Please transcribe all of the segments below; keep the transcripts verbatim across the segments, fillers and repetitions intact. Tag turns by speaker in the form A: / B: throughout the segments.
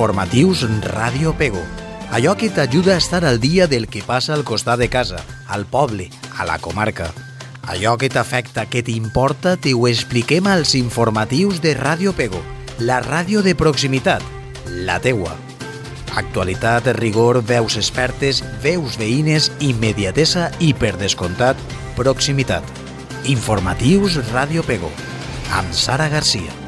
A: Informatius Ràdio Pego. Allò que t'ajuda a estar al dia del que passa al costat de casa, al poble, a la comarca. Allò que t'afecta, que t'importa, t'ho expliquem als informatius de Ràdio Pego, la ràdio de proximitat, la teua. Actualitat, rigor, veus expertes, veus veïnes, immediatesa i, per descomptat, proximitat. Informatius Ràdio Pego, amb Sara Garcia.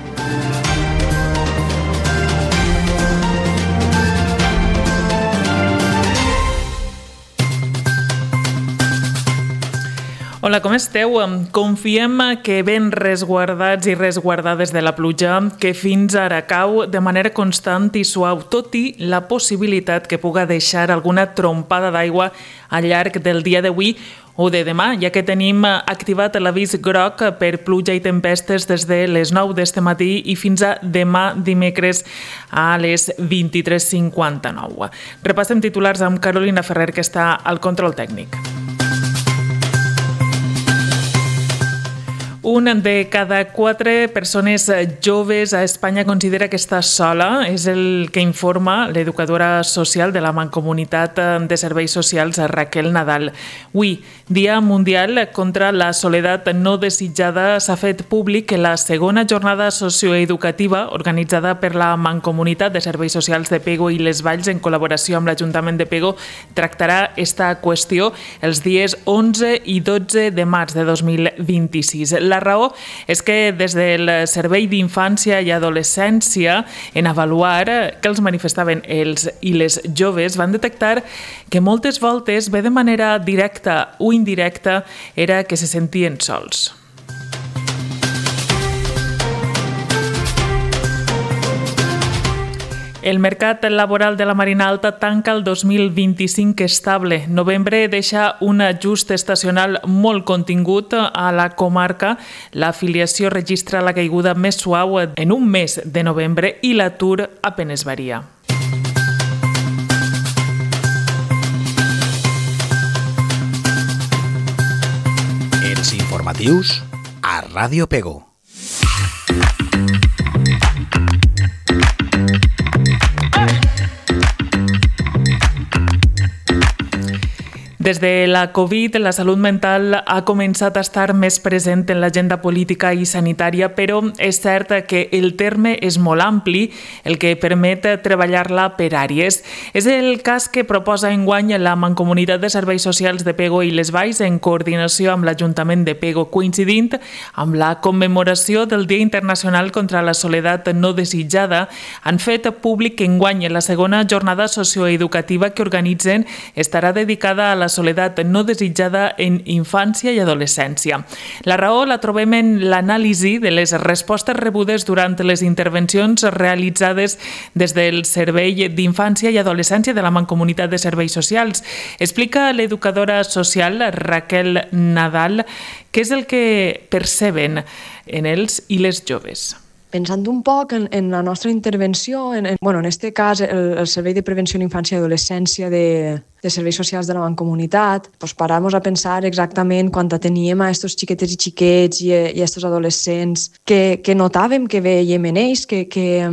B: Hola, com esteu? Confiem que ben resguardats i resguardades de la pluja, que fins ara cau de manera constant i suau, tot i la possibilitat que puga deixar alguna trompada d'aigua al llarg del dia d'avui o de demà, ja que tenim activat l'avís groc per pluja i tempestes des de les nou d'este matí i fins a demà dimecres a les vint-i-tres cinquanta-nou. Repassem titulars amb Carolina Ferrer, que està al control tècnic. Un de cada quatre persones joves a Espanya considera que està sola, és el que informa l'educadora social de la Mancomunitat de Serveis Socials, Raquel Nadal. Avui, Dia Mundial contra la Soledat No Desitjada, s'ha fet públic que la segona jornada socioeducativa organitzada per la Mancomunitat de Serveis Socials de Pego i les Valls en col·laboració amb l'Ajuntament de Pego tractarà esta qüestió els dies onze i dotze de març de dos mil vint-i-sis. La raó és que des del Servei d'Infància i Adolescència, en avaluar que els manifestaven els i les joves, van detectar que moltes voltes, bé de manera directa o indirecta, era que se sentien sols. El mercat laboral de la Marina Alta tanca el dos mil vint-i-cinc estable. Novembre deixa un ajust estacional molt contingut a la comarca. L'afiliació registra la caiguda més suau en un mes de novembre i l'atur apenes varia.
A: Els informatius a Ràdio Pego.
B: Des de la Covid, la salut mental ha començat a estar més present en l'agenda política i sanitària, però és cert que el terme és molt ampli, el que permet treballar-la per àrees. És el cas que proposa enguany la Mancomunitat de Serveis Socials de Pego i les Valls en coordinació amb l'Ajuntament de Pego, coincidint amb la commemoració del Dia Internacional contra la Soledat No Desitjada. Han fet públic que enguany la segona jornada socioeducativa que organitzen estarà dedicada a la soledat no desitjada en infància i adolescència. La raó la trobem en l'anàlisi de les respostes rebudes durant les intervencions realitzades des del Servei d'Infància i Adolescència de la Mancomunitat de Serveis Socials. Explica l'educadora social Raquel Nadal què és el que perceben en els i les joves.
C: Pensant un poc en, en la nostra intervenció, en, en, bueno, en este cas el, el Servei de Prevenció en Infància i Adolescència de, de Serveis Socials de la Mancomunitat, pues paramos a pensar exactament quan teníem a estos xiquetes i xiquets i, i a estos adolescents que, que notàvem que veiem en ells, que, que,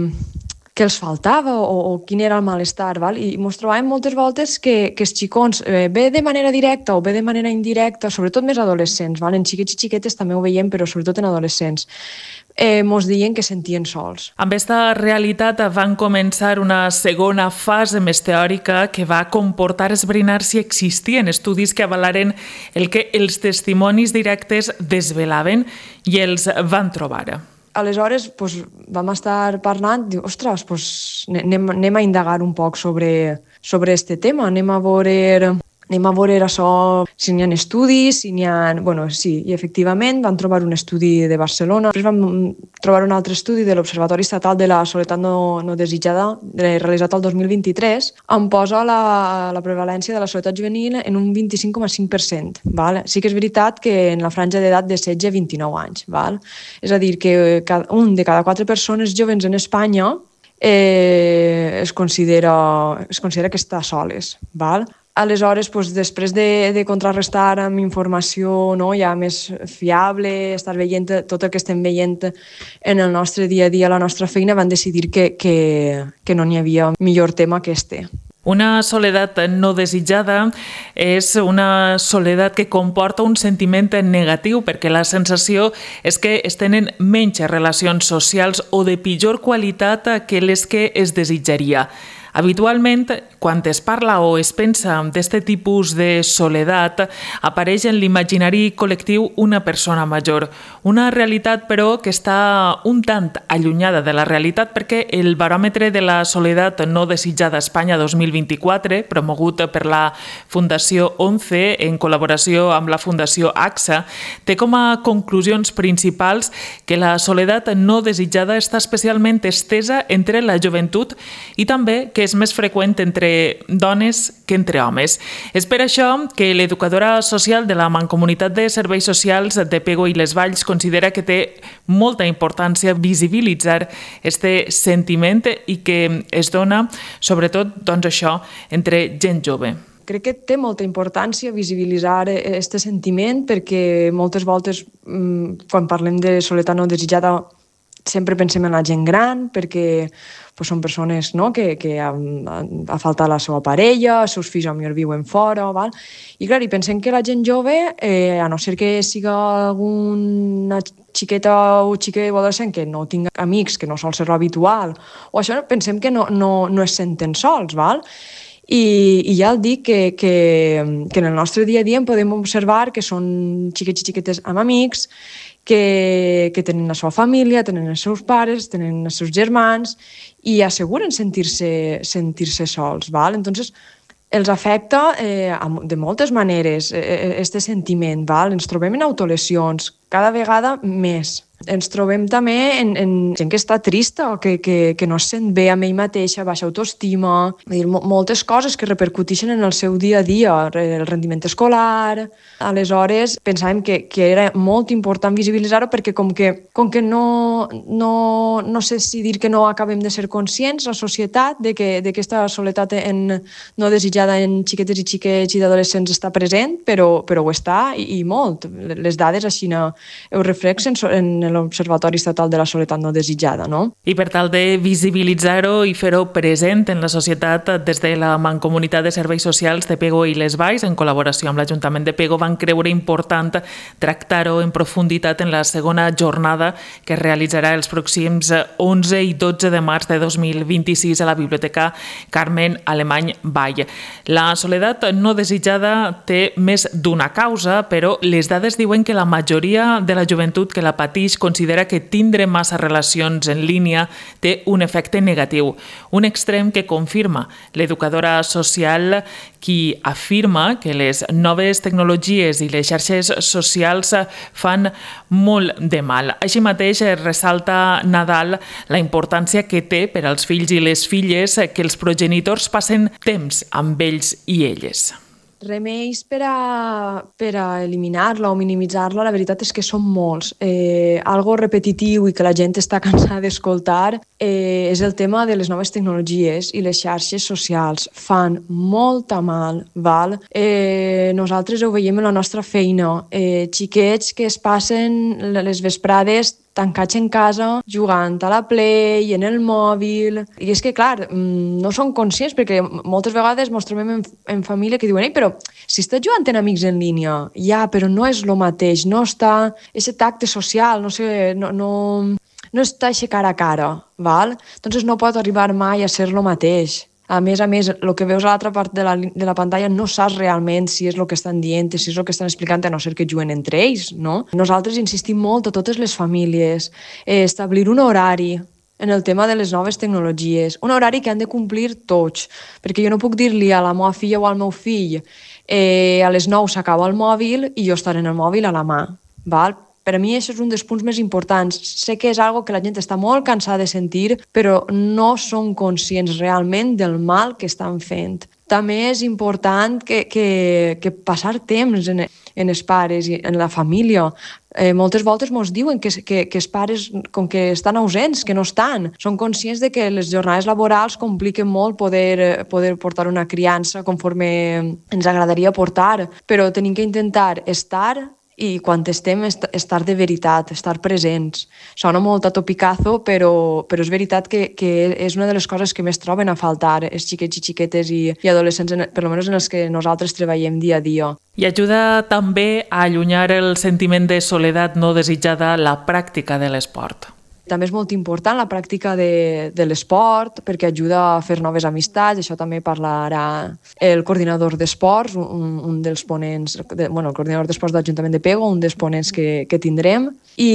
C: que els faltava o, o quin era el malestar, val? I ens trobàvem moltes voltes que, que els xicons, eh, bé de manera directa o bé de manera indirecta, sobretot més adolescents, val? En xiquets i xiquetes també ho veiem, però sobretot en adolescents, Eh, mos deien que sentien sols.
B: Amb aquesta realitat van començar una segona fase més teòrica que va comportar esbrinar si existien estudis que avalaren el que els testimonis directes desvelaven i els van trobar.
C: Aleshores, doncs, vam estar parlant, diu, ostres, doncs, anem, anem a indagar un poc sobre, sobre este tema, anem a veure... Anem a veure això, si n'hi ha estudis, si n'hi ha... Bueno, sí, i efectivament vam trobar un estudi de Barcelona. Després vam trobar un altre estudi de l'Observatori Estatal de la Soledat No, no Desitjada, realitzat el dos mil vint-i-tres, on posa la, la prevalència de la soledat juvenil en un vint-i-cinc coma cinc per cent. Val? Sí que és veritat que en la franja d'edat de setze a vint-i-nou anys. Val? És a dir, que un de cada quatre persones joves en Espanya eh, es, considera, es considera que està soles. Val? Aleshores, doncs, després de, de contrarrestar amb informació, no, ja més fiable, estar veient tot el que estem veient en el nostre dia a dia, la nostra feina, van decidir que, que, que no n'hi havia millor tema que este.
B: Una soledat no desitjada és una soledat que comporta un sentiment negatiu perquè la sensació és que es tenen menys relacions socials o de pitjor qualitat que les que es desitjaria. Habitualment, quan es parla o es pensa d'aquest tipus de soledat, apareix en l'imaginari col·lectiu una persona major. Una realitat, però, que està un tant allunyada de la realitat perquè el baròmetre de la soledat no desitjada a Espanya dos mil vint-i-quatre, promogut per la Fundació ONCE en col·laboració amb la Fundació AXA, té com a conclusions principals que la soledat no desitjada està especialment estesa entre la joventut i també que és més freqüent entre dones que entre homes. És per això que l'educadora social de la Mancomunitat de Serveis Socials de Pego i les Valls considera que té molta importància visibilitzar este sentiment i que es dona, sobretot, doncs això, entre gent jove.
C: Crec que té molta importància visibilitzar aquest sentiment perquè moltes voltes, quan parlem de soledat no desitjada, sempre pensem en la gent gran, perquè pues, són persones, no?, que, que ha, ha faltat la seva parella, els seus fills potser viuen fora, val? I clar, i pensem que la gent jove, eh, a no ser que siga alguna xiqueta o xiquet o adolescent que no tinga amics, que no sol ser l'habitual, o això pensem que no, no, no es senten sols, val? I, i ja el dic que, que, que en el nostre dia a dia en podem observar que són xiquets i xiquetes amb amics, que, que tenen la seva família, tenen els seus pares, tenen els seus germans i asseguren sentir-se sentir-se sols, val? Entonces, els afecta eh, de moltes maneres, aquest eh, sentiment, val? Ens trobem en autolesions, cada vegada més. Ens trobem també en, en gent que està trista o que, que, que no es sent bé amb ell mateixa, baixa autoestima, dir, moltes coses que repercuteixen en el seu dia a dia, el rendiment escolar. Aleshores, pensàvem que, que era molt important visibilitzar-ho perquè com que, com que no, no, no sé si dir que no acabem de ser conscients, la societat, de que aquesta soledat en, no desitjada en xiquetes i xiquets i d'adolescents està present, però, però ho està i, i molt. Les dades així no, ho reflexen en l'Observatori Estatal de la Soledat no desitjada, no?
B: I per tal de visibilitzar-ho i fer-ho present en la societat, des de la Mancomunitat de Serveis Socials de Pego i les Valls, en col·laboració amb l'Ajuntament de Pego, van creure important tractar-ho en profunditat en la segona jornada que es realitzarà els pròxims onze i dotze de març de dos mil vint-i-sis a la Biblioteca Carmen Alemany Vall. La soledat no desitjada té més d'una causa, però les dades diuen que la majoria de la joventut que la pateix considera que tindre massa relacions en línia té un efecte negatiu, un extrem que confirma l'educadora social, qui afirma que les noves tecnologies i les xarxes socials fan molt de mal. Així mateix ressalta Nadal la importància que té per als fills i les filles que els progenitors passen temps amb ells i elles.
C: Remeis per a, per a eliminar-la o minimitzar-la, la veritat és que són molts. Eh, algo repetitiu i que la gent està cansada d'escoltar eh, és el tema de les noves tecnologies i les xarxes socials. Fan molta mal, val? Eh, nosaltres ho veiem en la nostra feina. Eh, xiquets que es passen les vesprades tancats en casa, jugant a la Play, en el mòbil. I és que, clar, no són conscients, perquè moltes vegades ens trobem en, en família que diuen «Ei, però si estàs jugant amb amics en línia, ja, però no és el mateix, no està aquest tacte social, no sé, no, no, no està aquest cara a cara, val? Entonces no pot arribar mai a ser el mateix». A més a més, el que veus a l'altra part de la, de la pantalla no saps realment si és el que estan dient, si és el que estan explicant, a no ser que juguen entre ells, no? Nosaltres insistim molt a totes les famílies, eh, establir un horari en el tema de les noves tecnologies, un horari que han de complir tots, perquè jo no puc dir-li a la meva filla o al meu fill eh, a les nou s'acaba el mòbil i jo estaré en el mòbil a la mà, val? Per a mi això és un dels punts més importants. Sé que és algo que la gent està molt cansada de sentir, però no són conscients realment del mal que estan fent. també és important que, que, que passar temps en, en els pares i en la família. Eh, moltes voltes ens diuen que, que, que els pares, com que estan ausents, que no estan, són conscients de que les jornades laborals compliquen molt poder, poder portar una criança conforme ens agradaria portar, però tenim que intentar estar i quan estem, estar de veritat, estar presents. Sona molt a topicazo, però, però és veritat que, que és una de les coses que més troben a faltar els xiquets i xiquetes i, i adolescents, en, per almenys en els que nosaltres treballem dia a dia.
B: I ajuda també a allunyar el sentiment de soledat no desitjada la pràctica de l'esport.
C: També és molt important la pràctica de, de l'esport perquè ajuda a fer noves amistats, això també parlarà el coordinador d'esports, un, un dels ponents, de, bueno, el coordinador d'esports de l'Ajuntament de Pego, un dels ponents que, que tindrem, i,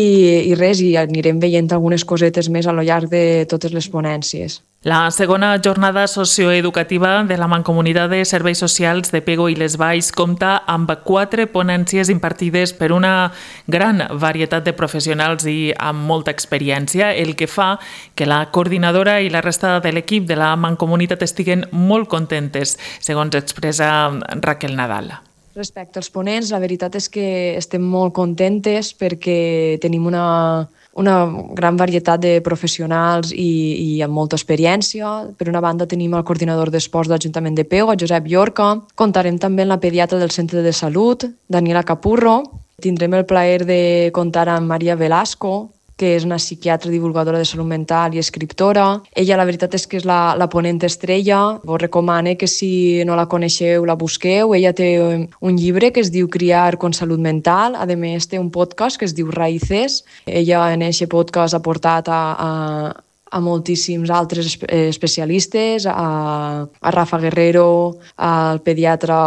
C: i res, i anirem veient algunes cosetes més a lo llarg de totes les ponències.
B: La segona jornada socioeducativa de la Mancomunitat de Serveis Socials de Pego i les Valls compta amb quatre ponències impartides per una gran varietat de professionals i amb molta experiència, el que fa que la coordinadora i la resta de l'equip de la Mancomunitat estiguen molt contentes, segons expressa Raquel Nadal.
C: Respecte als ponents, la veritat és que estem molt contentes perquè tenim una... una gran varietat de professionals i, i amb molta experiència. Per una banda tenim el coordinador d'esports de l'Ajuntament de Pego, Josep Llorca. Comptarem també amb la pediatra del Centre de Salut, Daniela Capurro. Tindrem el plaer de comptar amb Maria Velasco, que és una psiquiatra divulgadora de salut mental i escriptora. Ella, la veritat és que és la, la ponent estrella. Vos recomano que si no la coneixeu, la busqueu. Ella té un llibre que es diu Criar con Salut Mental. A més, té un podcast que es diu Raíces. Ella en aquest podcast ha portat a, a, a moltíssims altres especialistes, a, a Rafa Guerrero, al pediatre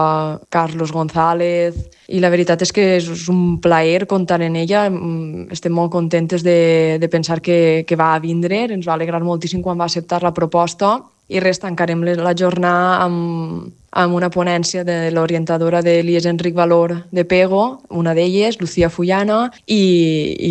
C: Carlos González, i la veritat és que és un plaer comptar en ella. Estem molt contentes de, de pensar que, que va a vindre, ens va alegrar moltíssim quan va acceptar la proposta, i res, tancarem la jornada amb, amb una ponència de l'orientadora de l'I E S Enric Valor de Pego, una d'elles, Lucía Fullana, i,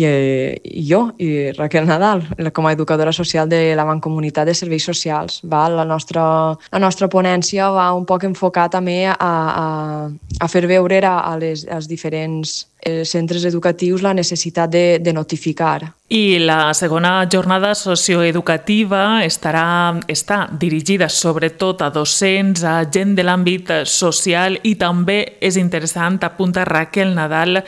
C: i, i jo, i Raquel Nadal, com a educadora social de la Mancomunitat de Serveis Socials. Va? La, nostra, la nostra ponència va un poc enfocar també a, a, a fer veure a, a les, als diferents eh, centres educatius la necessitat de, de notificar.
B: I la segona jornada socioeducativa estarà, està dirigida sobretot a docents, a gent de l'àmbit social, i també és interessant, apunta Raquel Nadal,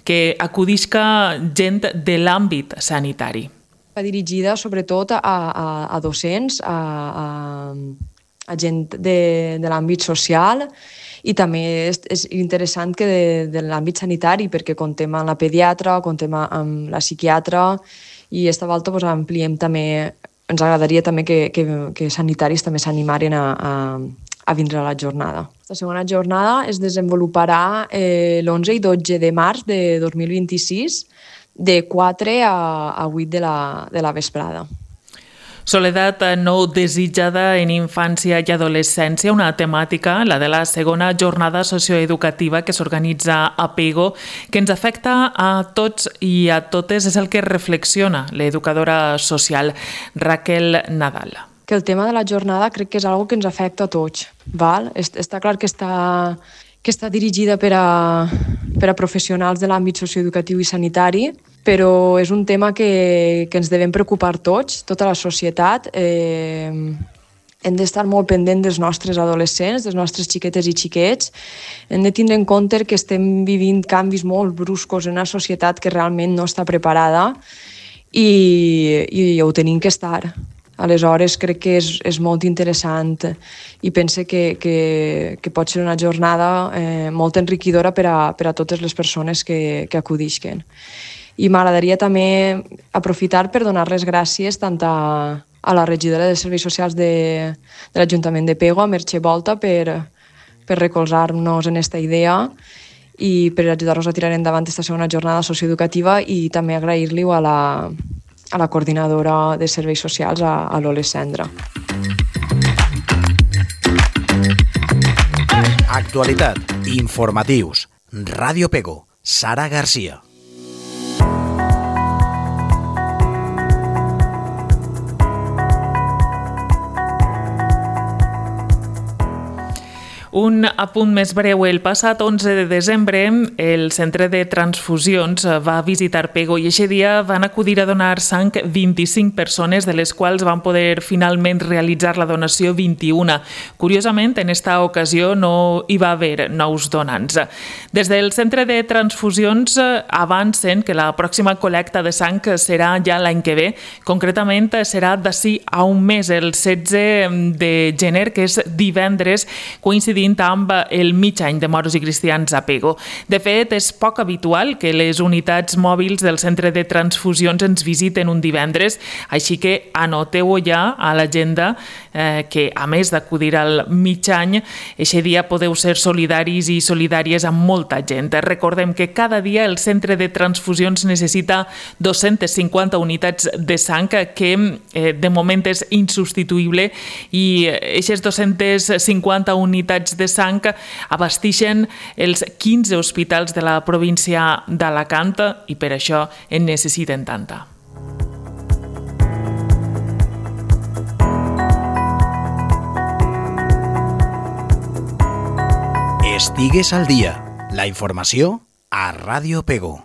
B: que acudisca gent de l'àmbit sanitari.
C: Va dirigida sobretot a, a, a docents, a, a, a gent de, de l'àmbit social, i també és, és interessant que de, de l'àmbit sanitari, perquè contem amb la pediatra, contem amb la psiquiatra, i aquesta volta pues, ampliem també, ens agradaria també que, que, que sanitaris també s'animaren a, a, a vindre a la jornada. La segona jornada es desenvoluparà eh, l'onze i dotze de març de dos mil vint-i-sis, de quatre a, a vuit de la, de la vesprada.
B: Soledat no desitjada en infància i adolescència, una temàtica, la de la segona jornada socioeducativa que s'organitza a Pego, que ens afecta a tots i a totes, és el que reflexiona l'educadora social Raquel Nadal.
C: Que el tema de la jornada crec que és una que ens afecta a tots. Val? Està clar que està, que està dirigida per a, per a professionals de l'àmbit socioeducatiu i sanitari, però és un tema que, que ens devem preocupar tots, tota la societat. Eh, hem d'estar molt pendent dels nostres adolescents, dels nostres xiquetes i xiquets. Hem de tindre en compte que estem vivint canvis molt bruscos en una societat que realment no està preparada, i, i ho tenim que estar. Aleshores, crec que és, és molt interessant i pense que, que, que pot ser una jornada eh, molt enriquidora per a, per a totes les persones que, que acudisquen. I m'agradaria també aprofitar per donar les gràcies tant a, a la regidora de Serveis Socials de, de l'Ajuntament de Pego, a Merche Volta, per, per recolzar-nos en aquesta idea i per ajudar-nos a tirar endavant aquesta segona jornada socioeducativa, i també agrair-li-ho a la, a la coordinadora de Serveis Socials, a, a l'Ole Cendra.
A: Actualitat, informatius, Ràdio Pego, Sara Garcia.
B: Un apunt més breu. El passat onze de desembre, el Centre de Transfusions va visitar Pego i aquest dia van acudir a donar sang vint-i-cinc persones, de les quals van poder finalment realitzar la donació vint-i-una. Curiosament, en esta ocasió no hi va haver nous donants. Des del Centre de Transfusions avancen que la pròxima col·lecta de sang serà ja l'any que ve. Concretament, serà d'ací a un mes, el setze de gener, que és divendres, coincidint amb el mig any de moros i cristians a Pego. De fet, és poc habitual que les unitats mòbils del Centre de Transfusions ens visiten un divendres, així que anoteu-ho ja a l'agenda eh, que, a més d'acudir al mig any, aquest dia podeu ser solidaris i solidàries amb molta gent. Recordem que cada dia el Centre de Transfusions necessita dos-centes cinquanta unitats de sang, que eh, de moment és insubstituïble, i aquestes dos-centes cinquanta unitats de sang abastixen els quinze hospitals de la província d'Alacant i per això en necessiten tanta.
A: Estigues al dia. La informació a Ràdio Pego.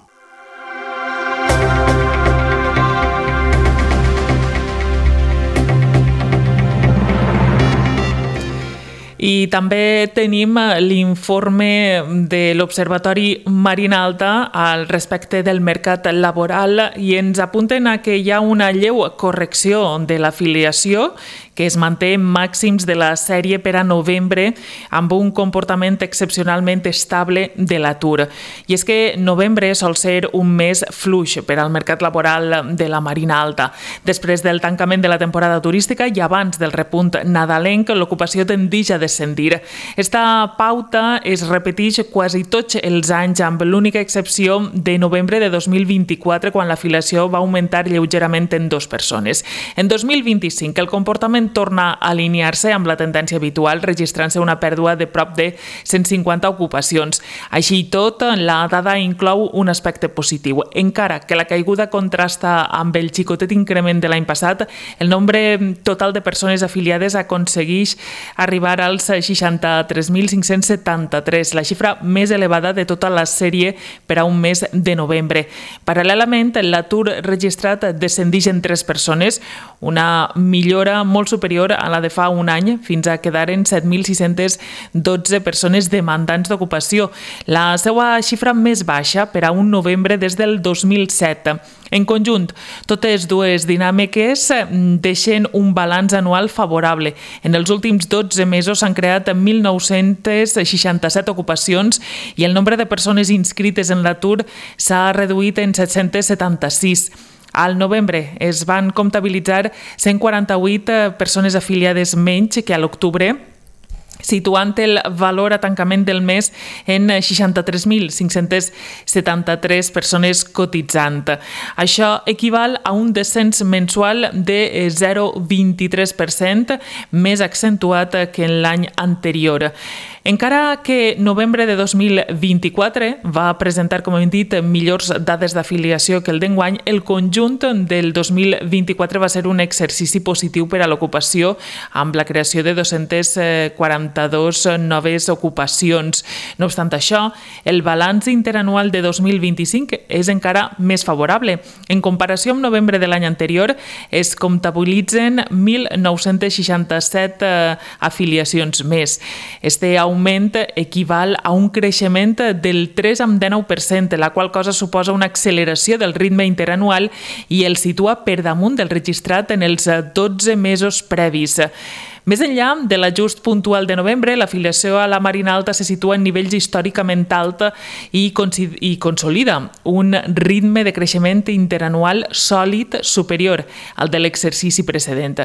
B: I també tenim l'informe de l'Observatori Marina Alta al respecte del mercat laboral i ens apunten a que hi ha una lleu correcció de l'afiliació que es manté en màxims de la sèrie per a novembre amb un comportament excepcionalment estable de l'atur. I és que novembre sol ser un mes fluix per al mercat laboral de la Marina Alta. Després del tancament de la temporada turística i abans del repunt nadalenc, l'ocupació tendeix a descendir. Esta pauta es repeteix quasi tots els anys, amb l'única excepció de novembre de dos mil vint-i-quatre, quan l'afiliació va augmentar lleugerament en dues persones. En dos mil vint-i-cinc, el comportament torna a alinear-se amb la tendència habitual, registrant-se una pèrdua de prop de cent cinquanta ocupacions. Així i tot, la dada inclou un aspecte positiu. Encara que la caiguda contrasta amb el xicotet increment de l'any passat, el nombre total de persones afiliades aconsegueix arribar als seixanta-tres mil cinc-cents setanta-tres, la xifra més elevada de tota la sèrie per a un mes de novembre. Paral·lelament, l'atur registrat descendeix en tres persones, una millora molt superior a la de fa un any, fins a quedar en set mil sis-cents dotze persones demandants d'ocupació, la seva xifra més baixa per a un novembre des del dos mil set. En conjunt, totes dues dinàmiques deixen un balanç anual favorable. En els últims dotze mesos s'han creat mil nou-cents seixanta-set ocupacions i el nombre de persones inscrites en l'atur s'ha reduït en set-cents setanta-sis. Al novembre es van comptabilitzar cent quaranta-vuit persones afiliades menys que a l'octubre, situant el valor a tancament del mes en seixanta-tres mil cinc-cents setanta-tres persones cotitzant. Això equival a un descens mensual de zero coma vint-i-tres per cent, més accentuat que en l'any anterior. Encara que novembre de dos mil vint-i-quatre va presentar, com hem dit, millors dades d'afiliació que el d'enguany, el conjunt del dos mil vint-i-quatre va ser un exercici positiu per a l'ocupació, amb la creació de dos-cents quaranta-dos noves ocupacions. No obstant això, el balanç interanual de dos mil vint-i-cinc és encara més favorable. En comparació amb novembre de l'any anterior, es comptabilitzen mil nou-cents seixanta-set afiliacions més. Este augment equival a un creixement del tres coma dinou per cent, la qual cosa suposa una acceleració del ritme interanual i el situa per damunt del registrat en els dotze mesos previs. Més enllà de l'ajust puntual de novembre, l'afiliació a la Marina Alta se situa en nivells històricament alts i, i consolida un ritme de creixement interanual sòlid superior al de l'exercici precedent.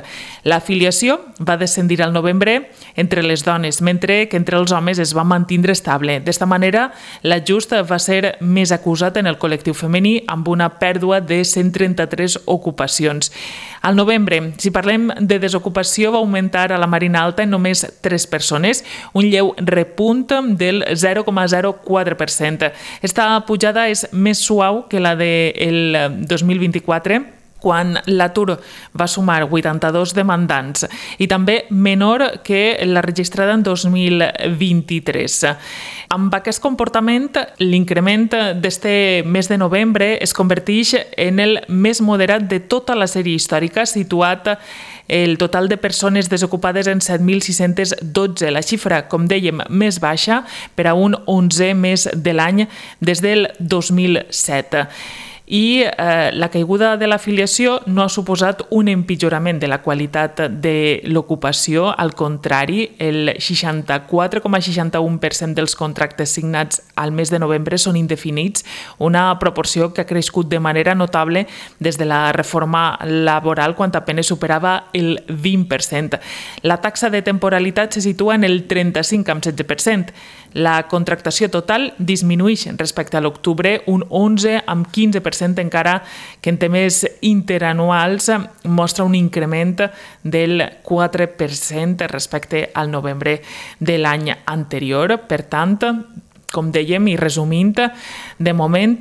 B: L'afiliació va descendir al novembre entre les dones, mentre que entre els homes es va mantindre estable. D'esta manera, l'ajust va ser més acusat en el col·lectiu femení, amb una pèrdua de cent trenta-tres ocupacions. Al novembre, si parlem de desocupació, va augmentar a la Marina Alta en només tres persones, un lleu repunt del zero coma zero quatre per cent. Esta pujada és més suau que la del dos mil vint-i-quatre, quan l'atur va sumar vuitanta-dos demandants i també menor que la registrada en dos mil vint-i-tres. Amb aquest comportament, l'increment d'este mes de novembre es converteix en el més moderat de tota la sèrie històrica, situat el total de persones desocupades en set mil sis-cents dotze, la xifra, com dèiem, més baixa per a un onzè mes de l'any des del dos mil set. I eh, la caiguda de l'afiliació no ha suposat un empitjorament de la qualitat de l'ocupació. Al contrari, el seixanta-quatre coma seixanta-u per cent dels contractes signats al mes de novembre són indefinits, una proporció que ha crescut de manera notable des de la reforma laboral, quan apenas superava el vint per cent. La taxa de temporalitat se situa en el trenta-cinc coma setze per cent. La contractació total disminueix respecte a l'octubre un onze coma quinze per cent, encara que en temes interanuals mostra un increment del quatre per cent respecte al novembre de l'any anterior. Per tant, com dèiem i resumint, de moment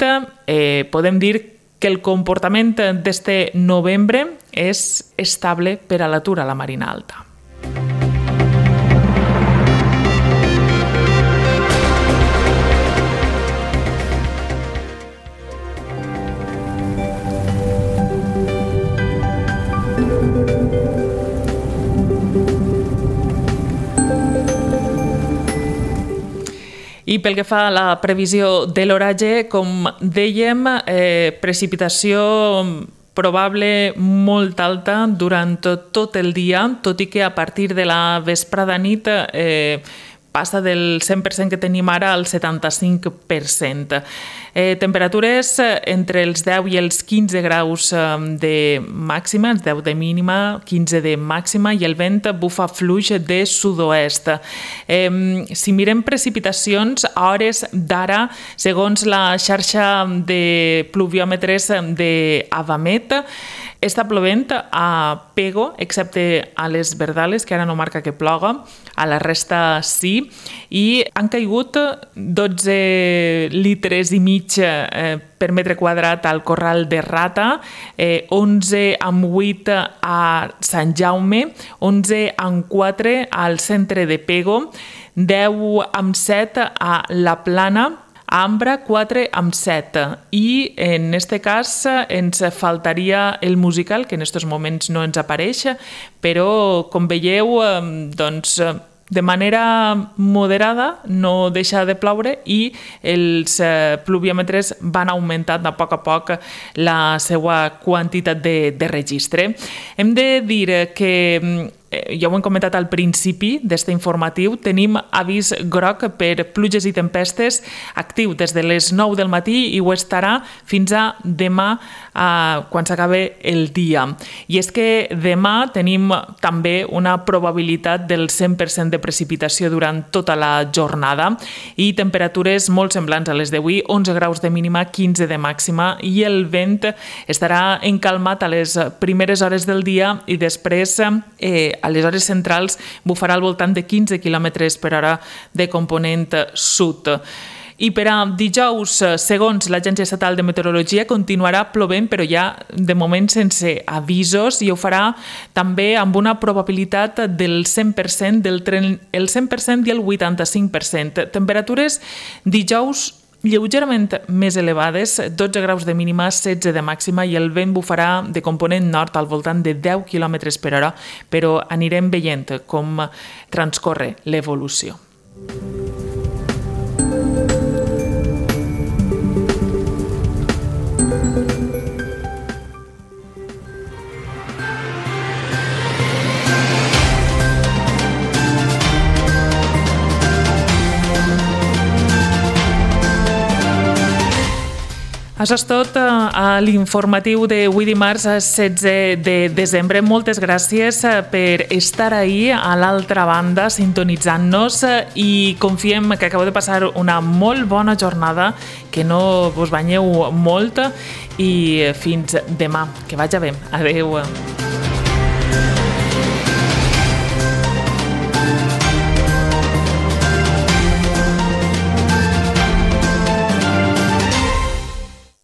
B: eh, podem dir que el comportament d'este novembre és estable per a l'atur a la Marina Alta. I pel que fa a la previsió de l'oratge, com dèiem, eh, precipitació probable molt alta durant tot el dia, tot i que a partir de la vesprada nit eh, passa del cent per cent que tenim ara al setanta-cinc per cent. Eh, temperatures entre els deu i els quinze graus de màxima, els deu de mínima, quinze de màxima, i el vent bufa fluix de sud-oest. Eh, si mirem precipitacions, a hores d'ara, segons la xarxa de pluviòmetres d'Avamet, està plovent a Pego, excepte a les Verdales, que ara no marca que ploga, a la resta sí, i han caigut dotze litres i mig eh, per metre quadrat al Corral de Rata, eh, onze coma vuit a Sant Jaume, onze coma quatre al centre de Pego, deu coma set a La Plana, a Ambra quatre coma set, i en aquest cas ens faltaria el musical, que en aquests moments no ens apareix, però com veieu, doncs, de manera moderada no deixa de ploure i els pluviòmetres van augmentant a poc a poc la seva quantitat de, de registre. Hem de dir que, ja ho hem comentat al principi d'este informatiu, tenim avís groc per pluges i tempestes actiu des de les nou del matí i ho estarà fins a demà eh, quan s'acabe el dia. I és que demà tenim també una probabilitat del cent per cent de precipitació durant tota la jornada i temperatures molt semblants a les d'avui, onze graus de mínima, quinze de màxima, i el vent estarà encalmat a les primeres hores del dia i després eh, a les hores centrals bufarà al voltant de quinze quilòmetres per hora de component sud. I per a dijous, segons l'Agència Estatal de Meteorologia, continuarà plovent, però ja de moment sense avisos, i ho farà també amb una probabilitat del cent per cent, del el cent per cent i el vuitanta-cinc per cent. Temperatures dijous lleugerament més elevades, dotze graus de mínima, setze de màxima, i el vent bufarà de component nord al voltant de deu quilòmetres per hora, però anirem veient com transcorre l'evolució. Això és tot a l'informatiu d'avui dimarts setze de desembre. Moltes gràcies per estar ahí a l'altra banda sintonitzant-nos i confiem que acabeu de passar una molt bona jornada, que no vos banyeu molt i fins demà. Que vagi bé. Adéu.